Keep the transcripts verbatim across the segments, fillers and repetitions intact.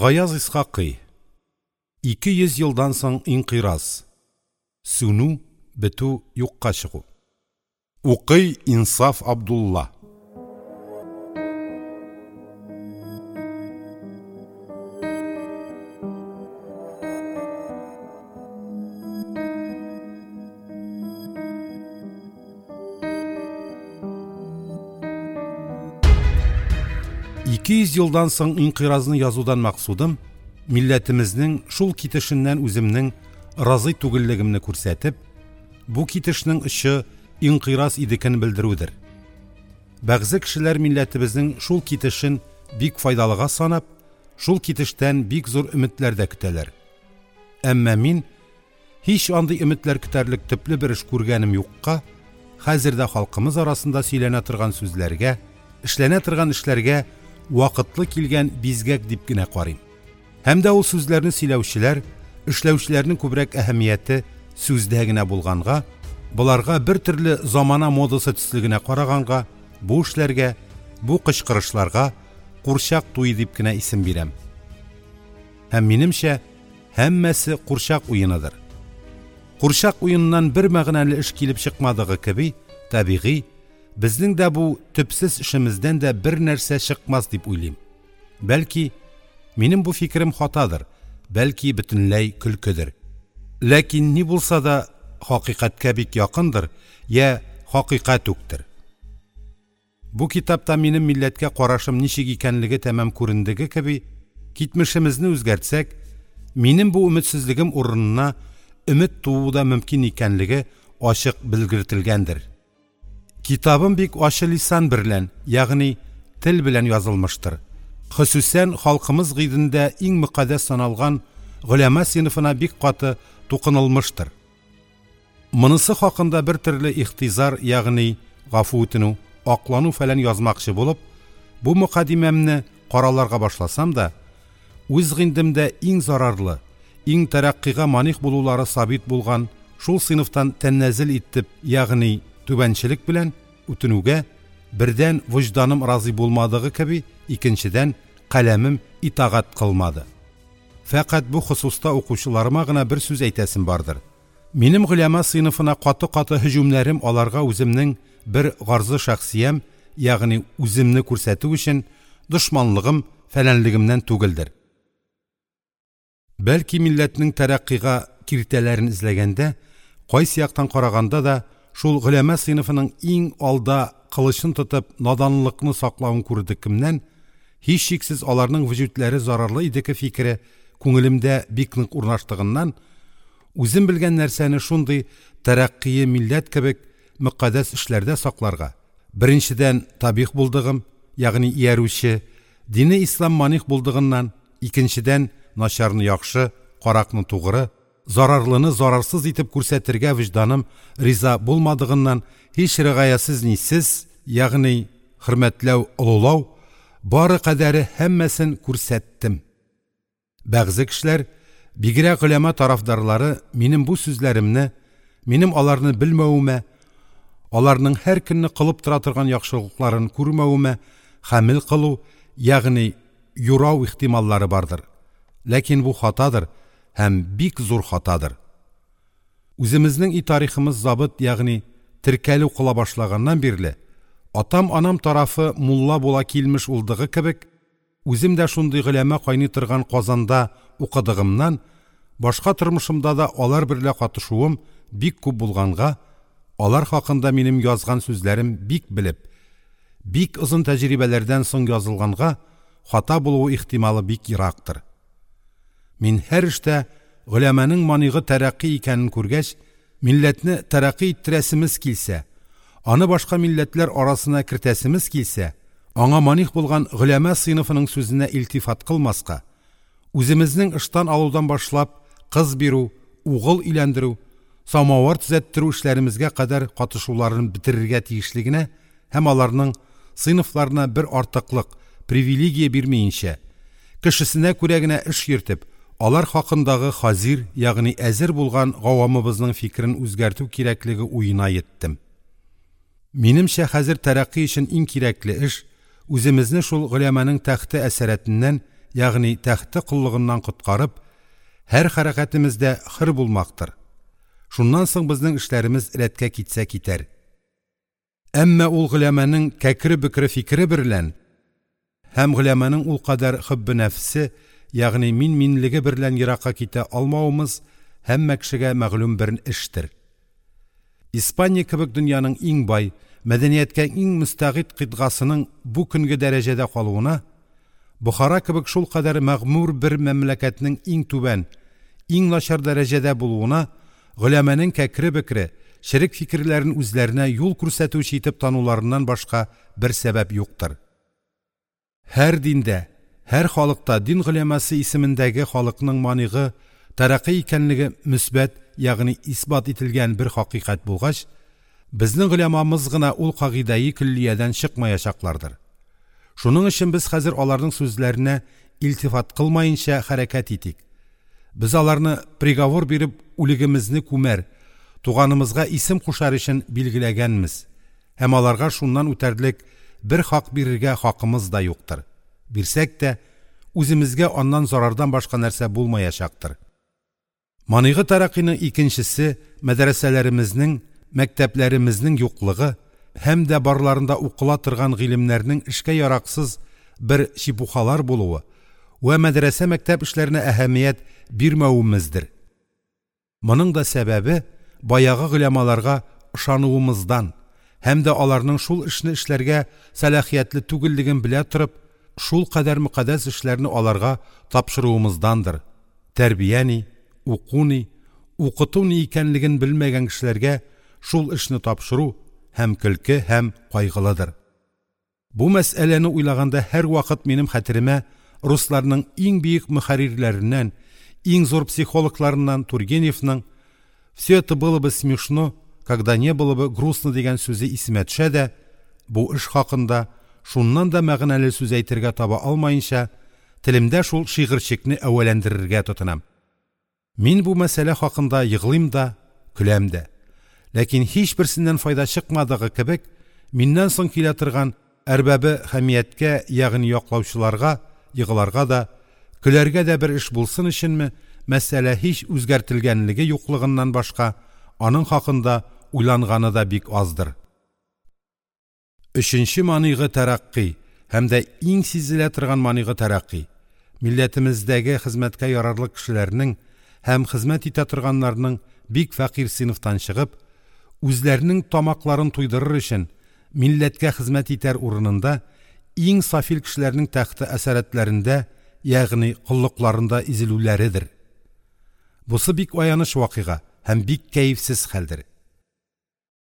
Гаяз Исхакый. Ике йөз елдан соң инкыйраз. Сүнү, бетү, юкка чыгу. Укый Инсаф Абдулла. Ике йөз елдан соң инкыйразны язудан максудым, милләтемезнең шул китешеннән үземнең разый түгеллегемне күрсәтеп, бу китешнең очы инкыйраз идекен белдерүдер. Бәгъзе кешеләр милләтебезнең шул китешен бик файдалыга санап, шул китештән бик зур өметләр дә көтәләр. Әмма мин һич андый өметләр көтәрлек төпле бер эш күргәнем юкка, хәзер дә халкымыз арасында сөйләнә торган сүзләргә, эшләнә торган эшләргә вакытлы килгән бизгәк дип кенә карыйм. Һәм дә ул сүзләрне сөйләүчеләр, эшләүчеләрнең күбрәк әһәмияте сүздә генә булганга, боларга бер төрле замана модасы төсле генә караганга, бу эшләргә, бу кычкырышларга курчак туе дип кенә исем бирәм. Һәм минемчә, һәммәсе курчак уеныдыр. Курчак уеныннан бер мәгънәле эш килеп чыкмадыгы кеби, табигый, безнең дә бу төпсез эшемездән дә бер нәрсә чыкмас дип уйлыйм. Бәлки, минем бу фикерем хатадыр, бәлки бөтенләй көлкедер. Ләкин ни булса да хакыйкатькә бик якындыр, я хакыйкать үктер. Бу китапта минем милләткә карашым ничек икәнлеге тәмам күрендеге кеби, китмешемезне үзгәртсәк, минем бу өметсезлегем урынына өмет туу да мөмкин икәнлеге ачык белгертелгәндер. Китабым бик ачы лисан берлән, ягъни тел белән язылмыштыр. Хосусән халкымыз гыйдендә иң мөкаддәс саналган голема сыйныфына бик каты тукынылмыштыр. Монысы хакында бер төрле ихтизар, ягъни гафу үтенү, аклану фәлән язмакчы булып, бу мөкаддимәмне караларга башласам да, үз гыйндемдә иң зарарлы, иң тәрәккыйга маних булулары сабит булган шул сыйныфтан тәннәзел итеп, ягъни түбәнчелек белән үтенүгә бердән вөҗданым разый булмадыгы кеби, икенчедән каләмем итагать кылмады. Фәкать бу хосуста укучыларыма гына бер сүз әйтәсем бардыр. Минем голема сыйныфына каты-каты һөҗүмнәрем аларга үземнең бер гарзы шәхсиям, ягъни үземне күрсәтү өчен дошманлыгым, фәләнлегемнән түгелдер. Бәлки милләтнең тәрәккыйга киртәләрен эзләгәндә, кайсы яктан караганда да шул голема сыйныфының иң алда кылычын тотып наданлыкны саклавын күрдекемнән, һичшиксез аларның вөҗүдләре зарарлы идеке фикере күңелемдә бик нык урнаштыгыннан, үзем белгән нәрсәне шундый тәрәккые милләт кебек мөкаддәс эшләрдә сакларга, беренчедән табих булдыгым, ягъни иярүче, дине ислам маних булдыгыннан, икенчедән начарны яхшы, каракны тугры, зарарлыны зарарсыз итеп күрсәтергә вөҗданым риза булмадыгыннан һич ригаясыз нисез, ягъни хөрмәтләү, олылау, бары кадәре һәммәсен күрсәттем. Бәгъзе кешеләр, бигрәк голема тарафдарлары, минем бу сүзләремне, минем аларны белмәвемә, аларның һәр көнне кылып тора торган яхшылыкларын күрмәвемә хәмил кылу, ягъни юрау ихтималлары бардыр. Ләкин бу хатадыр һәм бик зур хатадыр. Үземезнең и тарихымыз забыт, ягъни теркәлү кыла башлаганнан бирле, атам-анам тарафы мулла була килмеш улдыгы кебек, үзем дә шундый голема кайный торган Казанда укыдыгымнан, башка тормышымда да алар берлә катышуым бик күп булганга, алар хакында минем язган сүзләрем бик белеп, бик озын тәҗрибәләрдән соң язылганга, хата булуы ихтималы бик ерактыр. Мин һәр эштә голяманың манигы тәрәккый икәнен күргәч, милләтне тәрәккый иттерәсемез килсә, аны башка милләтләр арасына кертәсемез килсә, аңа маних булган голяма сыйныфының сүзенә илтифат кылмаска, үземезнең ыштан алудан башлап кыз бирү, угыл өйләндерү, самавыр төзәттерү эшләремезгә кадәр катышуларын бетерергә тиешлегенә һәм аларның сыйныфларына бер артыклык, привилегия бирмәенчә, кешесенә күрә генә эш йөртеп, алар хакындагы хазир, ягъни әзер булган гавамыбызның фикерен үзгәртү кирәклеге уена еттем. Минемчә хәзер тәрәккый өчен иң кирәкле эш үземезне шул голяманың тәхте әсәрәтеннән, ягъни тәхте коллыгыннан коткарып, һәр хәрәкәтемездә хөр булмактыр. Шуннан соң безнең эшләремез рәткә китсә китәр. Әмма ул голяманың кәкре-бөкре фикере берлән һәм голяманың ул кадәр хөббе нәфсе, ягъни мин-минлеге берлән еракка китә алмавымыз һәммә кешегә мәгълүм бер эштер. Испания кебек дөньяның иң бай, мәдәнияткә иң мөстәгыйд кыйтгасының бу көнге дәрәҗәдә калуына, Бохара кебек шулкадәр мәгъмур бер мәмләкәтнең иң түбән, иң начар дәрәҗәдә булуына голяманың кәкре-бөкре, черек фикерләрен үзләренә юл күрсәтүче итеп тануларыннан башка бер сәбәп юктыр. Һәр диндә, һәр халыкта дин голямасы исемендәге халыкның манигы тәрәкъкый икәнлеге мөсбәт, ягъни исбат ителгән бер хакыйкать булгач, безнең голямамыз гына ул кагыйдәи көллиядән чыкмаячаклардыр. Шуның өчен без хәзер аларның сүзләренә илтифат кылмаенча хәрәкәт итик. Без аларны приговор биреп үлегемезне күмәр, туганымызга исем кушар өчен билгеләгәнмез һәм аларга шуннан үтәрлек бер хак бирергә хакымыз да юктыр. Бирсәк тә, үземезгә аннан зарардан башка нәрсә булмаячактыр. Манигы тәрәкъкыйның икенчесе мәдрәсәләремезнең, мәктәпләремезнең юклыгы һәм дә барларында укыла торган гыйлемнәрнең эшкә яраксыз бер чепухалар булуы вә мәдрәсә мәктәп эшләренә әһәмият бирмәвемездер. Моның да сәбәбе баягы голямаларга ышануымыздан һәм дә аларның шул эшне эшләргә сәлахиятле түгеллеген белә торып, шул кадәр мөкаддәс эшләрне аларга тапшыруымыздандыр. Тәрбия ни, уку ни, укыту ни икәнлеген белмәгән кешеләргә шул эшне тапшыру һәм көлке һәм кайгылыдыр. Бу мәсьәләне уйлаганда һәрвакыт минем хәтеремә русларның иң бөек мөхәррирләреннән, иң зур психологларыннан Тургеневның «Все это было бы смешно, когда не было бы грустно» дигән сүзе исемә төшә дә, бу эш хакында шуннан да мәгънәле сүз әйтергә таба алмаенча, телемдә шул шигырьчекне әүвәләндерергә тотынам. Мин бу мәсьәлә хакында еглыйм да, көләм дә. Ләкин һичберсеннән файда чыкмадыгы кебек, миннән соң килә торган әрбабы хәмияткә, ягъни яклаучыларга, егларга да, көләргә дә бер эш булсын өченме, мәсьәлә һич үзгәртелгәнлеге юклыгыннан башка, аның хакында уйланганы да бик аздыр. Өченче манигы тәрәкъкый һәм дә иң сизелә торган манигы тәрәкъкый милләтемездәге хезмәткә ярарлык кешеләрнең һәм хезмәт итә торганнарның бик фәкыйрь сыйныфтан чыгып, үзләренең тамакларын туйдырыр өчен милләткә хезмәт итәр урынында иң сафил кешеләрнең тәхте әсәрәтләрендә, ягъни коллыкларында изелүләредер. Бусы бик аяныч вакыйга һәм бик кәефсез хәлдер.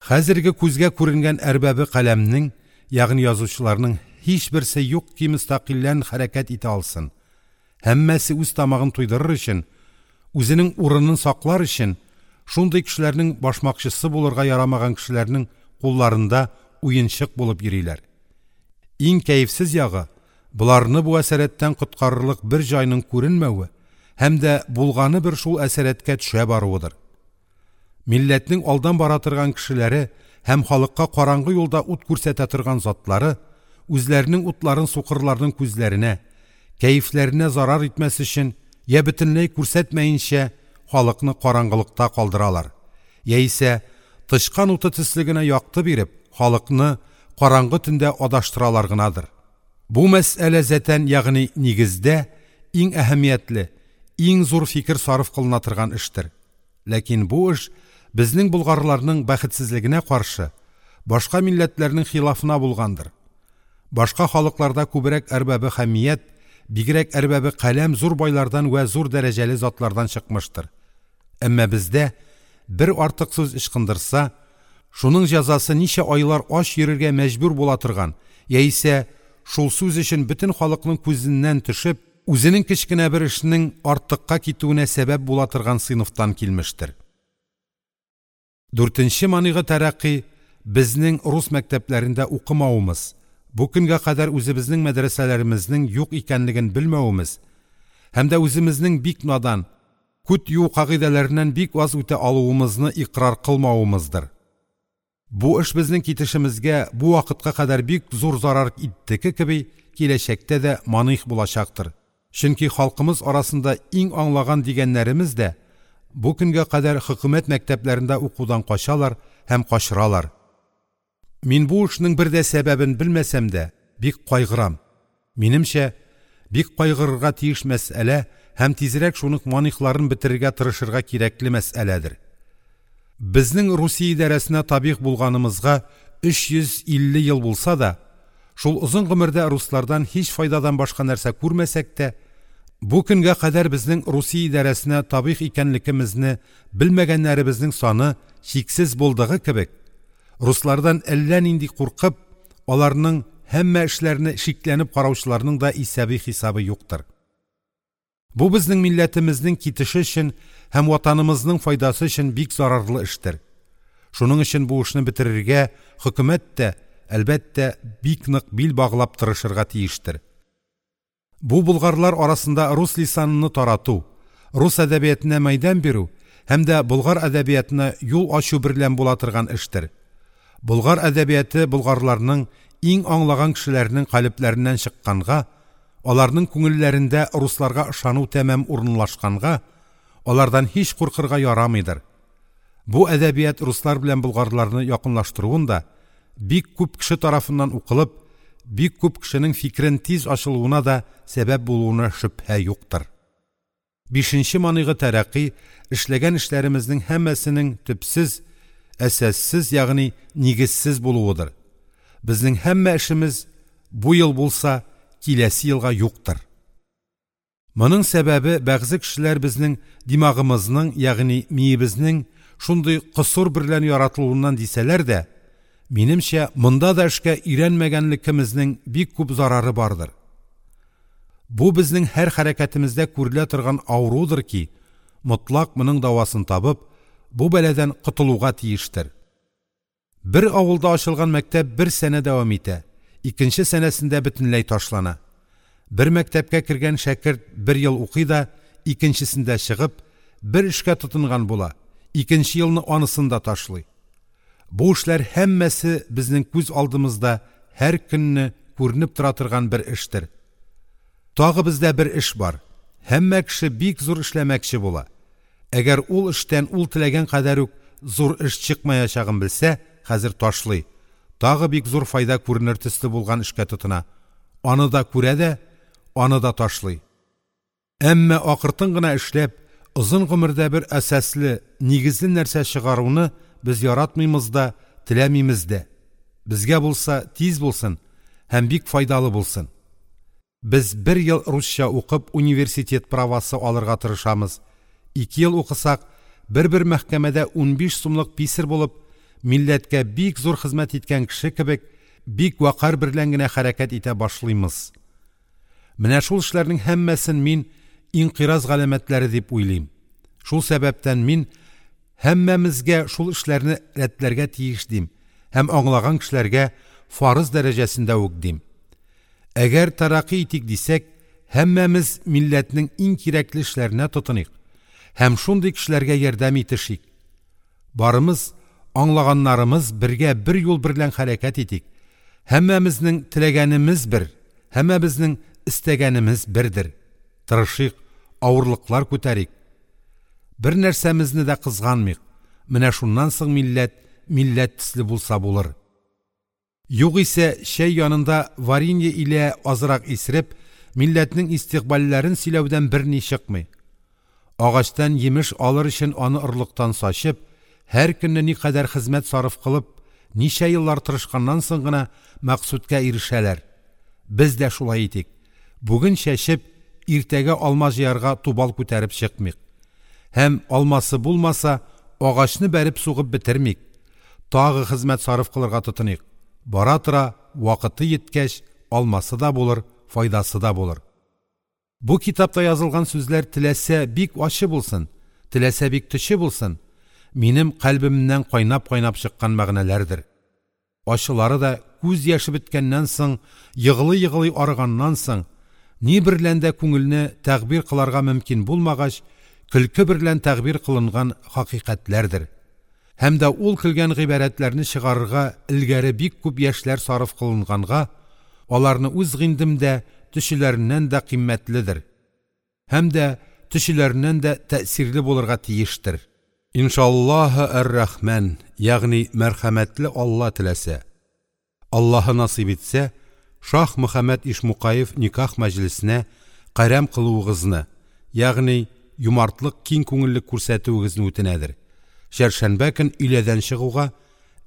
Хәзерге күзгә күренгән әрбабы каләмнең, ягъни язучыларның һичберсе юк ки мөстәкыйльлән хәрәкәт итә алсын. Һәммәсе үз тамагын туйдырыр өчен, үзенең урынын саклар өчен шундый кешеләрнең башмакчысы булырга ярамаган кешеләрнең кулларында уенчык булып йөриләр. Иң кәефсез ягы боларны бу әсәрәттән коткарырлык бер җайның күренмәве һәм дә булганы бер шул әсәрәткә төшә баруыдыр. Милләтнең алдан бара торган кешеләре һәм халыкка караңгы юлда ут күрсәтә торган затлары үзләренең утларын сукырларның күзләренә, кәефләренә зарар итмәс өчен я бөтенләй күрсәтмәенчә халыкны караңгылыкта калдыралар, яисә тычкан уты төсле генә якты биреп, халыкны караңгы төндә адаштыралар гынадыр. Бу мәсьәлә зәтән, ягъни нигездә иң әһәмиятле, иң зур фикер сарыф кылына торган эштер. Ләкин бу эш безнең болгарларның бәхетсезлегенә каршы, башка милләтләрнең хилафына булгандыр. Башка халыкларда күбрәк әрбабы хәмият, бигрәк әрбабы каләм зур байлардан вә зур дәрәҗәле затлардан чыкмыштыр. Әмма бездә бер артык сүз ычкындырса, шуның җәзасы ничә айлар ач йөрергә мәҗбүр була торган, яисә шул сүз өчен бөтен халыкның күзеннән төшеп, үзенең кечкенә бер эшенең артыкка китүенә сәбәп була торган сыйныфтан килмештер. Дүртенче манигы тәрәкъкый безнең рус мәктәпләрендә укымавымыз, бу көнгә кадәр үзебезнең мәдрәсәләремезнең юк икәнлеген белмәвемез һәм дә үземезнең бик надан, күт юу кагыйдәләреннән бик аз үтә алуымызны икърар кылмавымыздыр. Бу эш безнең китешемезгә бу вакытка кадәр бик зур зарар иттеке кеби, киләчәктә дә маних булачактыр. Чөнки халкымыз арасында иң аңлаган дигәннәремез дә бу көнгә кадәр хөкүмәт мәктәпләрендә укудан качалар һәм качыралар. Мин бу эшнең бер дә сәбәбен белмәсәм дә, бик кайгырам. Минемчә, бик кайгырырга тиеш мәсьәлә һәм тизрәк шуның манигъларын бетерергә тырышырга кирәкле мәсьәләдер. Безнең Русия идарәсенә табигъ булганымызга өч йөз илле ел булса да, шул озын гомердә руслардан һич файдадан башка нәрсә күрмәсәк тә, бу көнгә кадәр безнең Русия идарәсенә табигъ икәнлегемезне белмәгәннәремезнең саны чиксез булдыгы кебек, руслардан әллә нинди куркып, аларның һәммә эшләренә шикләнеп караучыларның да исәбе-хисабы юктыр. Бу безнең милләтемезнең китеше өчен һәм ватанымызның файдасы өчен бик зарарлы эштер. Шуның өчен бу эшне бетерергә хөкүмәт тә, әлбәттә, бик нык бил баглап тырышырга тиештер. Бу болгарлар арасында рус лисаныны тарату, рус әдәбиятына мәйдан бирү һәм дә болгар әдәбиятына юл ачу берлән була торган эштер. Болгар әдәбияты болгарларның иң аңлаган кешеләренең калебләреннән чыкканга, аларның күңелләрендә русларга ышану тәмам урынлашканга, алардан һич куркырга ярамыйдыр. Бу әдәбият руслар белән болгарларны якынлаштыруын да бик күп кеше тарафыннан укылып, бик күп кешенең фикерен тиз ачылуына да сәбәп булуына шөбһә юктыр. Бишенче манигы тәрәкъи эшләгән эшләремезнең һәммәсенең төпсез, әсәссез, ягъни нигезсез булуыдыр. Безнең һәммә эшемез бу ел булса, киләсе елга юктыр. Моның сәбәбе бәгъзе кешеләр безнең димагымызның, ягъни миебезнең шундый косур берлән яратылуыннан дисәләр дә, минемчә, монда да эшкә өйрәнмәгәнлегемезнең бик күп зарары бардыр. Бу безнең һәр хәрәкәтемездә күрелә торган авырудыр ки, мотлак моның дәвасын табып, бу бәладән котылуга тиештер. Бер авылда ачылган мәктәп бер сәнә дәвам итә, икенче сәнәсендә бөтенләй ташлана. Бер мәктәпкә кергән шәкерт бер ел укый да, икенчесендә чыгып, бер эшкә тотынган була, икенче елны анысын да ташлый. Бу эшләр һәммәсе безнең күз алдымызда һәр көнне күренеп тора торган бер эштер. Тагы бездә бер эш бар. Һәммә кеше бик зур эшләмәкче була. Әгәр ул эштән ул теләгән кадәр үк зур эш чыкмаячагын белсә, хәзер ташлый. Тагы бик зур файда күренер төсле булган эшкә тотына. Аны да күрә дә, аны да ташлый. Әмма акыртын гына эшләп, озын гомердә бер әсәсле, нигезле нәрсә чыгаруны без яратмыймыз да, теләмимез дә. Безгә булса тиз булсын һәм бик файдалы булсын. Без бер ел русча укып университет правасы алырга тырышамыз. Ике ел укысак, бер-бер мәхкәмәдә унбиш сумлык писер булып, милләткә бик зур хезмәт иткән кеше кебек, бик вакар берлән генә хәрәкәт итә башлыймыз. Менә шул эшләрнең һәммәсен мин инкыйраз галәмәтләре дип уйлыйм. Шул сәбәптән мин һәммәмезгә шул эшләрне рәтләргә тиеш дим һәм аңлаган кешеләргә фарыз дәрәҗәсендә үк дим. Әгәр тәрәкъи итик дисәк, һәммәмез милләтнең иң кирәкле эшләренә тотыныйк һәм шундый кешеләргә ярдәм итешик. Барымыз, аңлаганнарымыз бергә бер юл берлән хәрәкәт итик. Һәммәмезнең теләгәнемез бер, һәммәбезнең истәгәнемез бердер. Тырышыйк, авырлыклар күтәрик. Бер нәрсәмезне дә кызганмыйк. Менә шуннан соң милләт, милләт төсле булса булыр. Югыйсә чәй янында варенье илә азрак исереп, милләтнең истикбалләрен сөйләүдән берни чыкмый. Агачтан йимеш алыр өчен аны орлыктан сачып, һәр көнне никадәр хезмәт сарыф кылып, ничә еллар тырышканнан соң гына мәкъсудка ирешәләр. Без дә шулай итик. Бүген чәчеп, иртәгә алма җыярга тубал күтәреп чыкмыйк. Һәм алмасы булмаса, агачны бәреп сугып бетермик. Тагы хезмәт сарыф кылырга тотыныйк. Бара тора, вакыты еткәч, алмасы да булыр, файдасы да булыр. Бу китапта язылган сүзләр теләсә бик ачы булсын, теләсә бик төче булсын, минем кальбемнән кайнап-кайнап чыккан мәгънәләрдер. Ачылары да күз яше беткәннән соң, егылый-егылый арыганнан соң, ни берлән дә күңелне тәгъбир кыларга мөмкин булмагач, көлке берлән тәгъбир кылынган хакыйкатьләрдер. Һәм дә ул көлгән гыйбарәтләрне чыгарырга элгәре бик күп яшьләр сарыф кылынганга, аларны үз гыйндемдә төчеләреннән дә кыйммәтледер. һәм дә төчеләреннән дә тәэсирле булырга тиештер. Иншаллаһы әр-Рахман, ягъни мәрхәмәтле Алла теләсә, Аллаһы насыйп итсә, Шаһмөхәммәт Ишмукаев никях мәҗлесенә кәрам кылуыгызны, ягъни юмартлык, киң күңеллек күрсәтүегезне үтенәдер. Чәһаршәнбе көн өйләдән чыгуга,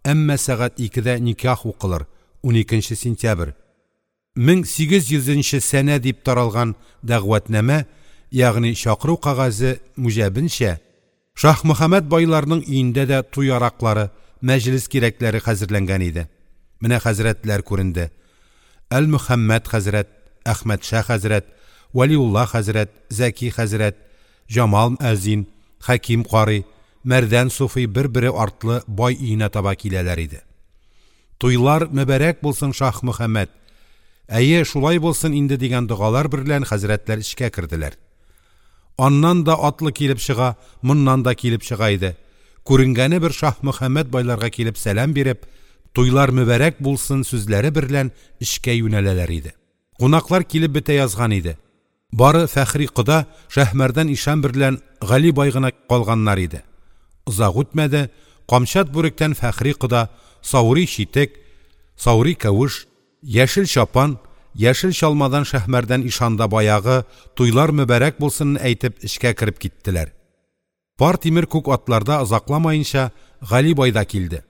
әмма сәгать икедә никях укылыр, уникенче сентябрь мең сигез йөзенче сәнә дип таралган дәгъватнамә, ягъни чакыру кәгазе муҗабенчә, Шаһмөхәммәт байларның өендә дә туй яраклары, мәҗлес кирәкләре хәзерләнгән иде. Менә хәзрәтләр күренде. Әлмөхәммәт хәзрәт, Әхмәтша хәзрәт, Вәлиулла хәзрәт, Зәки хәзрәт, Җамал мөәззин, Хәким карый, Мәрдән суфи бер-бере артлы бай өенә таба киләләр иде. Туйлар мөбарәк булсын, Шаһмөхәммәт! Әйе, шулай булсын инде дигән догалар берлән хәзрәтләр эчкә керделәр. Аннан да атлы килеп чыга, моннан да килеп чыга иде. Күренгәне бер Шаһмөхәммәт байларга килеп сәлам биреп, туйлар мөбарәк булсын сүзләре берлән эчкә юнәләләр иде. Кунаклар килеп бетә язган иде. Бары Фәхри кода Шаһмәрдан ишан берлән Гали бай гына калганнар иде. Озак үтмәде, камчат бүректән Фәхри кода, саури читек, саури кәвеш, яшел чапан, яшел чалмадан Шаһмәрдан ишан да баягы туйлар мөбарәк булсын әйтеп эчкә кереп киттеләр. Пар тимер күк атларда озакламаенча Гали бай да килде.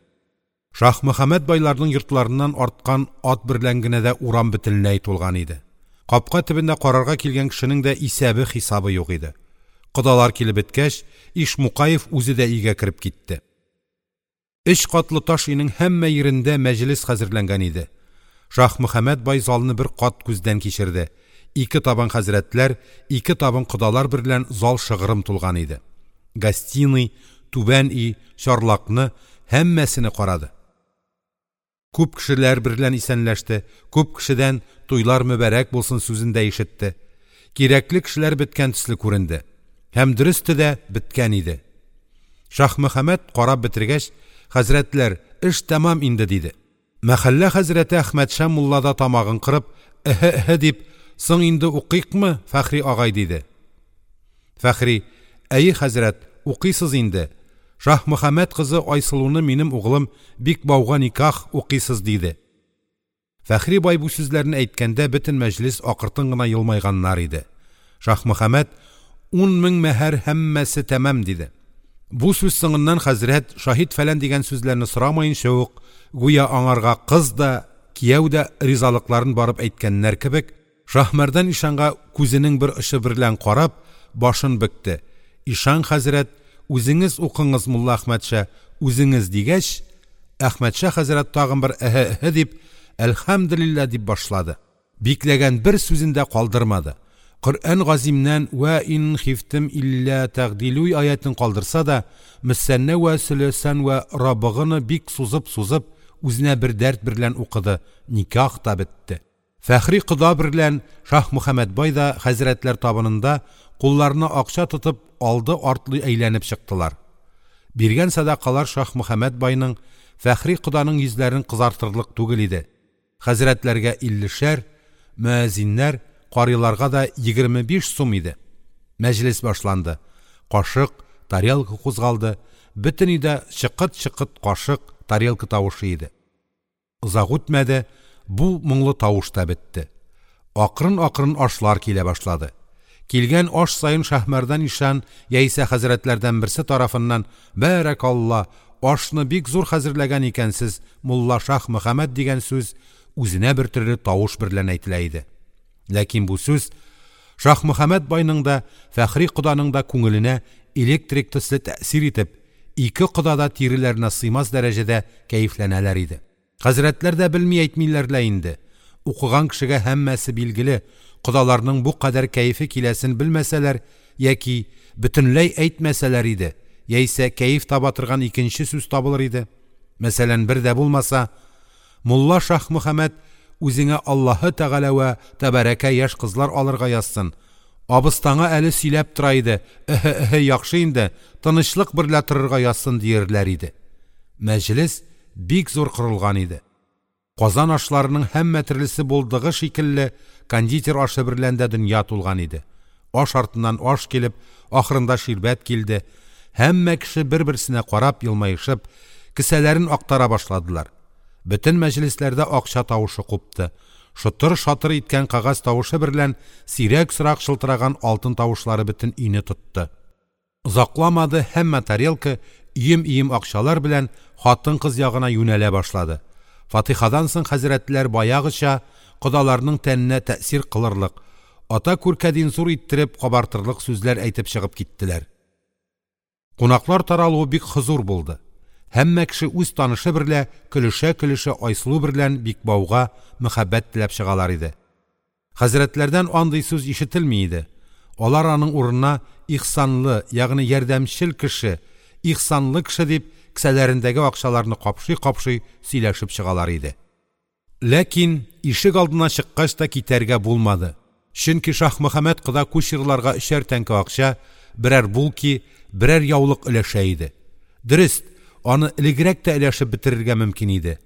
Шаһмөхәммәт байларның йортларыннан арткан ат берлән генә дә урам бөтенләй тулган иде. Капка төбендә карарга килгән кешенең дә исәбе хисабы юк иде. Кодалар килеп беткәч, Ишмукаев үзе дә өйгә кереп китте. Өч катлы таш өйнең һәммә йирендә мәҗлес хәзерләнгән иде. Шаһмөхәммәт бай залны бер кат күздән кичерде. Ике табын хәзрәтләр, ике табын кодалар берлән зал шыгрым тулган иде. Гостиный, түбән өй, чарлакны һәммәсене карады. Күп кешеләр берлән исәнләште, күп кешедән туйлар мөбарәк булсын сүзен дә ишетте. Кирәкле кешеләр беткән төсле күренде. Һәм дөресте дә беткән иде. Шаһмөхәммәт карап бетергәч, хәзрәтләр, эш тәмам инде диде. Мәхәллә хәзрәте Әхмәтша мулла да тамагын кырып, эһе-эһе дип, соң инде укыйкмы, Фәхри агай диде. Фәхри, әйе хәзрәт, укыйсыз инде. Шаһмөхәммәт кызы Айсылуны минем углым Бикбауга никах укыйсыз диде. Фәхри бай бу сүзләрне әйткәндә бөтен мәҗлес акыртын гына елмайганнар иде. Шаһмөхәммәт ун мең мәһәр һәммәсе тәмам диде. Бу сүз соңыннан хәзрәт шаһит фәлән дигән сүзләрне сорамаенча ук, гүя аңарга кыз да, кияү дә ризалыкларын барып әйткәннәр кебек, Шаһмәрдан ишанга күзенең бер очы берлән карап, башын бөкте. Ишан хәзрәт, үзеңез укыңыз мулла Әхмәтша, үзеңез дигәч, Әхмәтша хәзрәт тагын бер эһе-эһе дип, әлхәмдүлиллаһ дип башлады. Бикләгән бер сүзен дә калдырмады. Коръән газимнән вә ин хифтем илля тәгъдилү аятын калдырса да, мөсәннә вә сөләсән вә рабыгыны бик сузып-сузып, үзенә бер дәрт берлән укыды, никах та бетте. Фәхри кода берлән Шаһмөхәммәт бай да хәзрәтләр табынында кулларына акча тотып алды артлы әйләнеп чыктылар. Биргән сәдакалар Шаһмөхәммәт байның, Фәхри коданың йөзләрен кызартырлык түгел иде. Хәзрәтләргә иллешәр, мөәззиннәр, карыйларга да егерме биш сум иде. Мәҗлес башланды. Кашык, тарелка кузгалды. Бөтен өйдә чыкыт-чыкыт кашык, тарелка тавышы иде. Озак үтмәде, бу моңлы тавыш та бетте. Акрын-акрын ашлар килә башлады. Килгән аш саен Шаһмәрдан ишан яисә хәзрәтләрдән берсе тарафыннан «Бәрәкалла, ашны бик зур хәзерләгән икәнсез, мулла Шаһмөхәммәт» дигән сүз үзенә бер төрле тавыш берлән әйтелә иде. Ләкин бу сүз Шаһмөхәммәт байның да, Фәхри коданың да күңеленә электрик төсле тәэсир итеп, ике кода да тиреләренә сыймас дәрәҗәдә кәефләнәләр иде. Хәзрәтләр дә белми әйтмиләр лә инде. Укыган кешегә һәммәсе билгеле, кодаларның бу кадәр кәефе киләсен белмәсәләр яки бөтенләй әйтмәсәләр иде, яисә кәеф таба торган икенче сүз табылыр иде. Мәсәлән, бер дә булмаса, мулла Шаһмөхәммәт үзеңә Аллаһы Тәгалә вә тәбәрәкә яшь кызлар алырга язсын. Абыстаңа әле сөйләп тора иде, эһе-эһе яхшы инде, тынычлык берлә торырга язсын диерләр иде. Мәҗлес бик зур корылган иде. Казан ашларының һәммә төрлесе булдыгы шикелле кондитер ашы берлән дә дөнья тулган иде. Аш артыннан аш килеп, ахырында ширбәт килде. Һәммә кеше бер-берсенә карап елмаешып, кесәләрен актара башладылар. Бөтен мәҗлесләрдә акча тавышы купты. Шытыр-шатыр иткән кәгазь тавышы берлән сирәк-сорак чылтыраган алтын тавышлары бөтен өйне тотты. Озакламады, һәммә тарелка өем-өем акчалар белән хатын-кыз ягына юнәлә башлады. Фатихадан соң хәзрәтләр баягыча кодаларның тәненә тәэсир кылырлык, ата күркәдин зур иттереп кабартырлык сүзләр әйтеп чыгып киттеләр. Кунаклар таралуы бик хозур булды. Һәммә кеше үз танышы берлә көлешә-көлешә Айсылу берлән Бикбауга мәхәббәт теләп чыгалар иде. Хәзрәтләрдән андый сүз ишетелми иде. Алар аның урынына ихсанлы, ягъни ярдәмчел кеше, ихсанлы кеше дип кесәләрендәге акчаларны капшый-капшый сөйләшеп чыгалар иде. Ләкин ишек алдына чыккач та китәргә булмады. Чөнки Шаһмөхәммәт кода кучерларга өчәр тәңкә акча, берәр булки, берәр яулык өләшә иде. Дөрест, аны элегрәк тә өләшеп бетерергә мөмкин иде.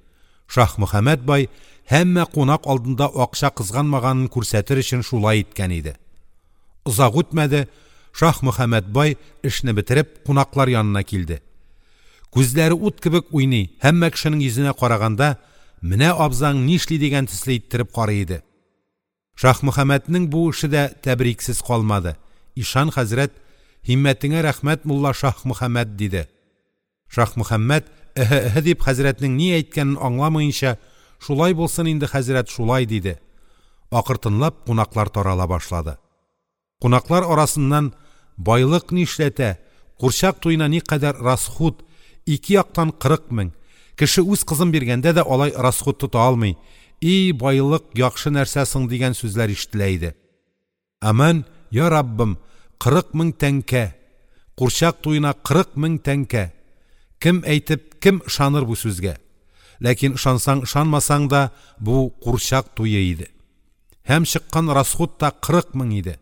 Шаһмөхәммәт бай һәммә кунак алдында акча кызганмаганын күрсәтер өчен шулай иткән иде. Озак үтмәде, Шаһмөхәммәт бай эшне бетереп кунаклар янына килде. Күзләре ут кебек уйный, һәммә кешенең йөзенә караганда, менә абзаң нишли дигән төсле иттереп карый иде. Шаһмөхәммәтнең бу эше дә тәбриксез калмады. Ишан хәзрәт: "Һиммәтеңә рәхмәт, мулла Шаһмөхәммәт", – диде. Шаһмөхәммәт эһэ-эһэ дип хәзрәтнең ни әйткәнен аңламаенча, "Шулай булсын инде, хәзрәт, шулай", – диде. Акыртынлап кунаклар тарала башлады. Кунаклар арасыннан байлык нишләтә, курчак туена никадәр расхут, ике яктан кырык мең, кеше үз кызын биргәндә дә алай расхут тота алмый, и байлык яхшы нәрсә соң дигән сүзләр ишетелә иде. Аман, я Раббым, кырык мең тәңкә, курчак туена кырык мең тәңкә. Кем әйтеп, кем ышаныр бу сүзгә? Ләкин ышансаң, ышанмасаң да, бу курчак туе иде. Һәм чыккан расхут та кырык мең иде.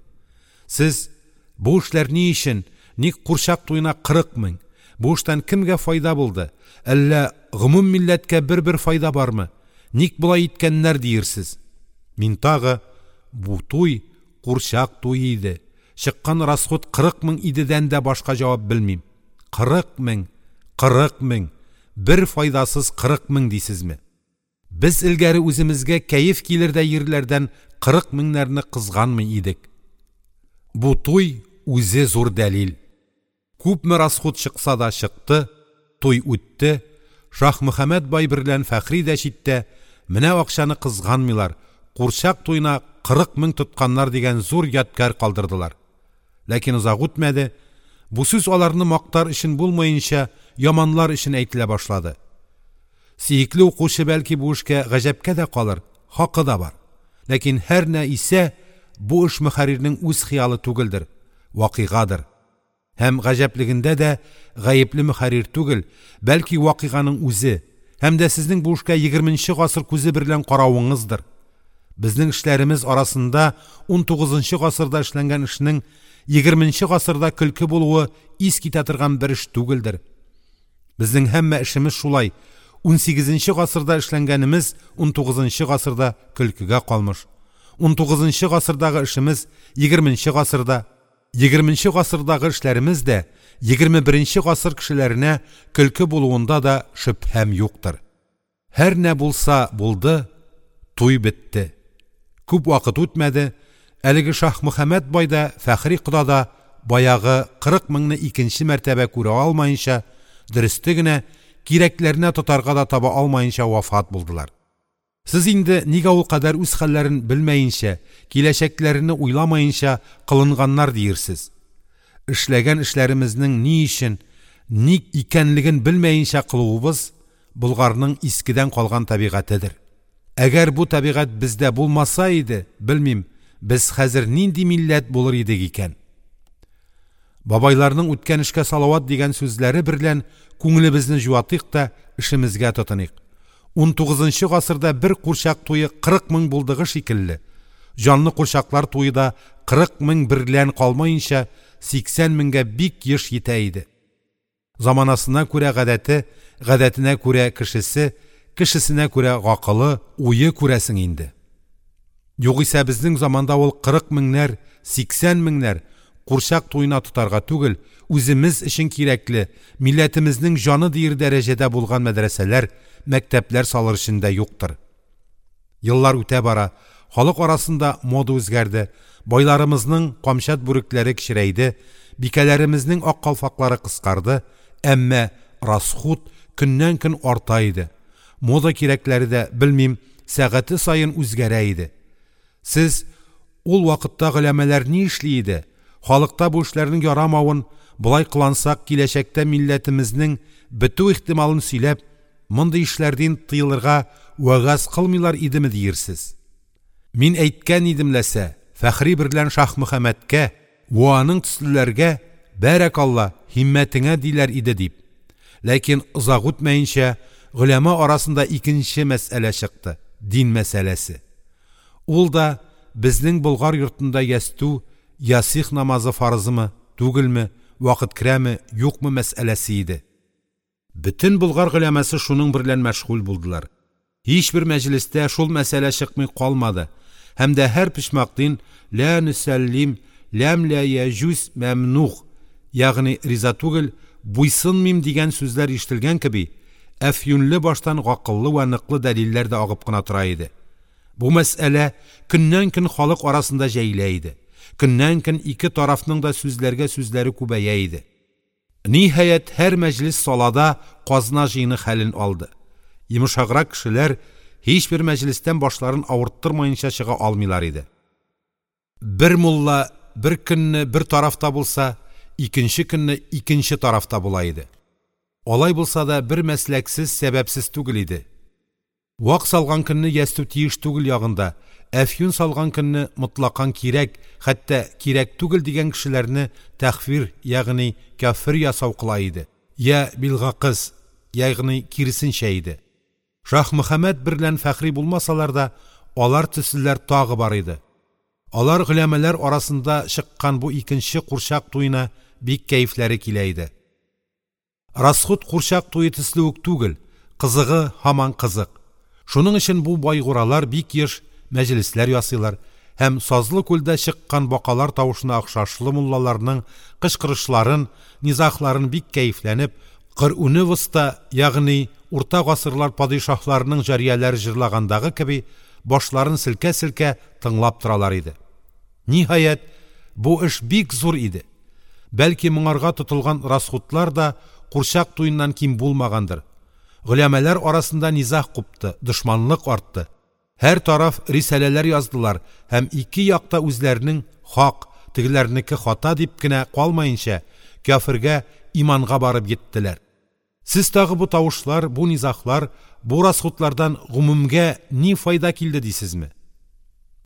Сез бу эшләр ни өчен, ник курчак туена кырык мең? Бу эштән кемгә файда булды? Әллә гомум милләткә бер-бер файда бармы? Ник болай иткәннәр диерсез? Мин тагы бу туй курчак туе иде. Чыккан расхут кырык мең идедән дә башка җавап белмим. Кырык мең, кырык мең, бер файдасыз кырык мең дисезме? Без элгәре үземезгә кәеф килер дә йирләрдән кырык меңнәрне кызганмый идек. Бу туй үзе зур дәлил. Күпме расхут чыкса да чыкты, туй үтте. Шаһмөхәммәт бай берлән Фәхри дә читтә, менә акчаны кызганмыйлар, курчак туена кырык мең тотканнар дигән зур ядкәр калдырдылар. Ләкин озак үтмәде, бу сүз аларны мактар өчен булмаенча, яманлар өчен әйтелә башлады. Сөекле укучы бәлки бу эшкә гаҗәпкә дә калыр, хакы да бар. Ләкин һәр нә исә бу эш мөхәррирнең үз хыялы түгелдер, вакыйгадыр. Һәм гаҗәплегендә дә гаепле мөхәррир түгел, бәлки вакыйганың үзе, һәм дә сезнең бу эшкә егерменче гасыр күзе берлән каравыңыздыр. Безнең эшләребез арасында унтугызынчы гасырда эшләнгән эшнең егерменче гасырда көлке булуы ис китә торган бер эш түгелдер. Безнең һәммә эшемез шулай, унсигезенче гасырда эшләнгәнемез унтугызынчы гасырда көлкегә калмыш. Унтугызынчы гасырдагы эшемез егерменче гасырда, егерменче гасырдагы эшләребез дә егерме беренче гасыр кешеләренә көлке булуында да шөбһәм юктыр. Һәр нә булса булды, туй бетте. Күп вакыт үтмәде, әлеге Шаһмөхәммәт бай да, Фәхри кода да баягы кырык меңне икенче мәртәбә күрә алмаенча, дөресте генә кирәкләренә тотарга да таба алмаенча вафат булдылар. Сез инде нигә ул кадәр үз хәлләрен белмәенчә, киләчәкләрен уйламаенча кылынганнар диерсез. Эшләгән эшләремезнең ни өчен, ник икәнлеген белмәенчә кылуыбыз Болгарның искедән калган табигатедер. Әгәр бу табигать бездә булмаса иде, белмим, без хәзер нинди милләт булыр идек икән? Бабайларның үткән эшкә салават дигән сүзләре берлән күңелебезне җуатыйк та эшемезгә тотыныйк. Унтугызынчы гасырда бер курчак туе кырык мең булдыгы шикелле, җанлы курчаклар туе да кырык мең берлән калмаенча сиксән меңгә бик еш йитә иде. Заманасына күрә гадәте, гадәтенә күрә кешесе, кешесенә күрә гакылы, уе күрәсең инде. Югыйсә безнең заманда ул кырык меңнәр, сиксән меңнәр курчак туена тотарга түгел, үземез өчен кирәкле, милләтемезнең җаны диер дәрәҗәдә булган мәдрәсәләр, мәктәпләр салыр өчен дә юктыр. Еллар үтә бара, халык арасында мода үзгәрде, байларымызның камчат бүрекләре кечерәйде, бикәләремезнең ак калфаклары кыскарды, әмма расхут көннән-көн арта иде. Мода кирәкләре дә, белмим, сәгате саен үзгәрә иде. Сез ул вакытта голямалар ни эшли иде? Халыкта бу эшләрнең ярамавын, болай кылансак, киләчәктә милләтемезнең бетү ихтималын сөйләп, мондый эшләрдән тыелырга вәгазь кылмыйлар идеме диерсез. Мин әйткән идем ләсә, Фәхри берлән Шаһмөхәммәткә вә аның төслеләргә бәрәкалла, һиммәтеңә диләр иде дип. Ләкин озак үтмәенчә голяма арасында икенче мәсьәлә чыкты – дин мәсьәләсе. Ул да безнең Болгар йортында ястү, ясигъ намазы фарызмы, түгелме, вакыт керәме, юкмы мәсьәләсе иде. Бөтен Болгар голямасы шуның берлән мәшгуль булдылар. Һичбер мәҗлестә шул мәсьәлә чыкмый калмады. Һәм дә һәр почмактин ла нөсәллим, ләм ла яҗүз мәмнуг, ягъни риза түгел, буйсынмыйм дигән сүзләр ишетелгән кеби, әфьюнлы баштан гакыллы вә ныклы дәлилләр дә агып кына тора иде. Бу мәсьәлә көннән-көн халык арасында җәелә иде. Көннән-көн ике тарафның да сүзләргә сүзләре күбәя иде. Ниһаять, һәр мәҗлес салада казна җыены хәлен алды. Йомшаграк кешеләр һичбер мәҗлестән башларын авырттырмаенча чыга алмыйлар иде. Бер мулла бер көнне бер тарафта булса, икенче көнне икенче тарафта була иде. Алай булса да бер мәсләксез, сәбәпсез түгел иде. Вак салган көнне ястү тиеш түгел ягында, әфьюн салган көнне мотлакан кирәк, хәтта кирәк түгел дигән кешеләрне тәхфир, ягъни кяфер ясау кыла иде. Я билгакыз, ягъни киресенчә иде. Шаһмөхәммәт берлән Фәхри булмасалар да, алар төслеләр тагы бар иде. Алар голямалар арасында чыккан бу икенче курчак туена бик кәефләре килә иде. Расхут курчак туе төсле үк түгел, кызыгы һаман кызык. Шуның өчен бу байгуралар бик еш мәҗлесләр ясыйлар һәм сазлы күлдә чыккан бакалар тавышына охшашлы муллаларның кычкырышларын, низахларын бик кәефләнеп, Коръүне вуста, ягъни урта гасырлар падишаһларының җарияләре җырлагандагы кеби башларын селкә-селкә тыңлап торалар иде. Ниһаять, бу эш бик зур иде. Бәлки моңарга тотылган расхутлар да курчак туеннан ким булмагандыр. Голямалар арасында низах купты, дошманлык артты. Һәр тараф рисаләләр яздылар һәм ике якта үзләренең хак, тегеләрнеке хата дип кенә калмаенча, кяфергә, иманга барып йиттеләр. Сез тагы бу тавышлар, бу низахлар, бу расхутлардан гомумгә ни файда килде дисезме?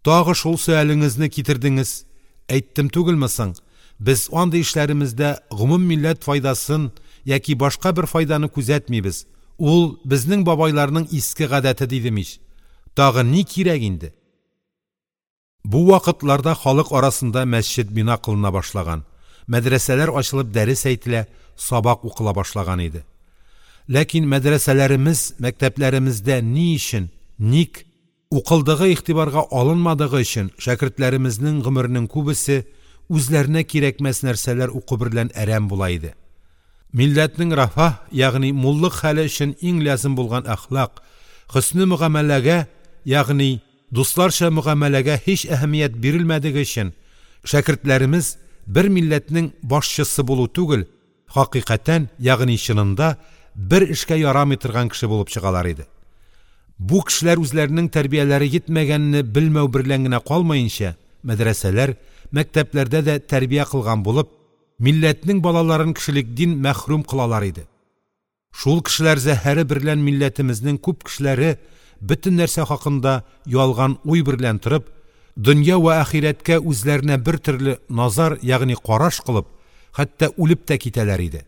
Тагы шул сөалеңезне китердеңез. Әйттем түгелме соң? Без андый эшләремездә гомум милләт файдасын яки башка бер файданы күзәтмибез. Ул безнең бабайларның иске гадәте дидем ич. Тагы ни кирәк инде? Бу вакытларда халык арасында мәсҗид бина кылына башлаган, мәдрәсәләр ачылып дәрес әйтелә, сабак укыла башлаган иде. Ләкин мәдрәсәләремез, мәктәпләремездә ни өчен, ник укылдыгы игътибарга алынмадыгы өчен шәкертләремезнең гомеренең күбесе үзләренә кирәкмәс нәрсәләр уку берлән әрәм була иде. Милләтнең рафаһ, ягъни муллык хәле өчен иң лязем булган әхлак, хөсне мөгамәләгә, ягъни дусларча мөгамәләгә һич әһәмият бирелмәдеге өчен шәкертләремез бер милләтнең башчысы булу түгел, хакыйкатән, ягъни чынында бер эшкә ярамый торган кеше булып чыгалар иде. Бу кешеләр үзләренең тәрбияләре йитмәгәнне белмәү берлән генә калмаенча, мәдрәсәләр, мәктәпләрдә дә тәрбия кылган булып, милләтнең балаларын кешелек дин мәхрүм кылалар иде. Шул кешеләр зәһәре берлән милләтемезнең күп кешеләре бөтен нәрсә хакында ялган уй берлән торып, дөнья вә ахирәткә үзләренә бер төрле назар, ягъни караш кылып, хәтта үлеп тә китәләр иде.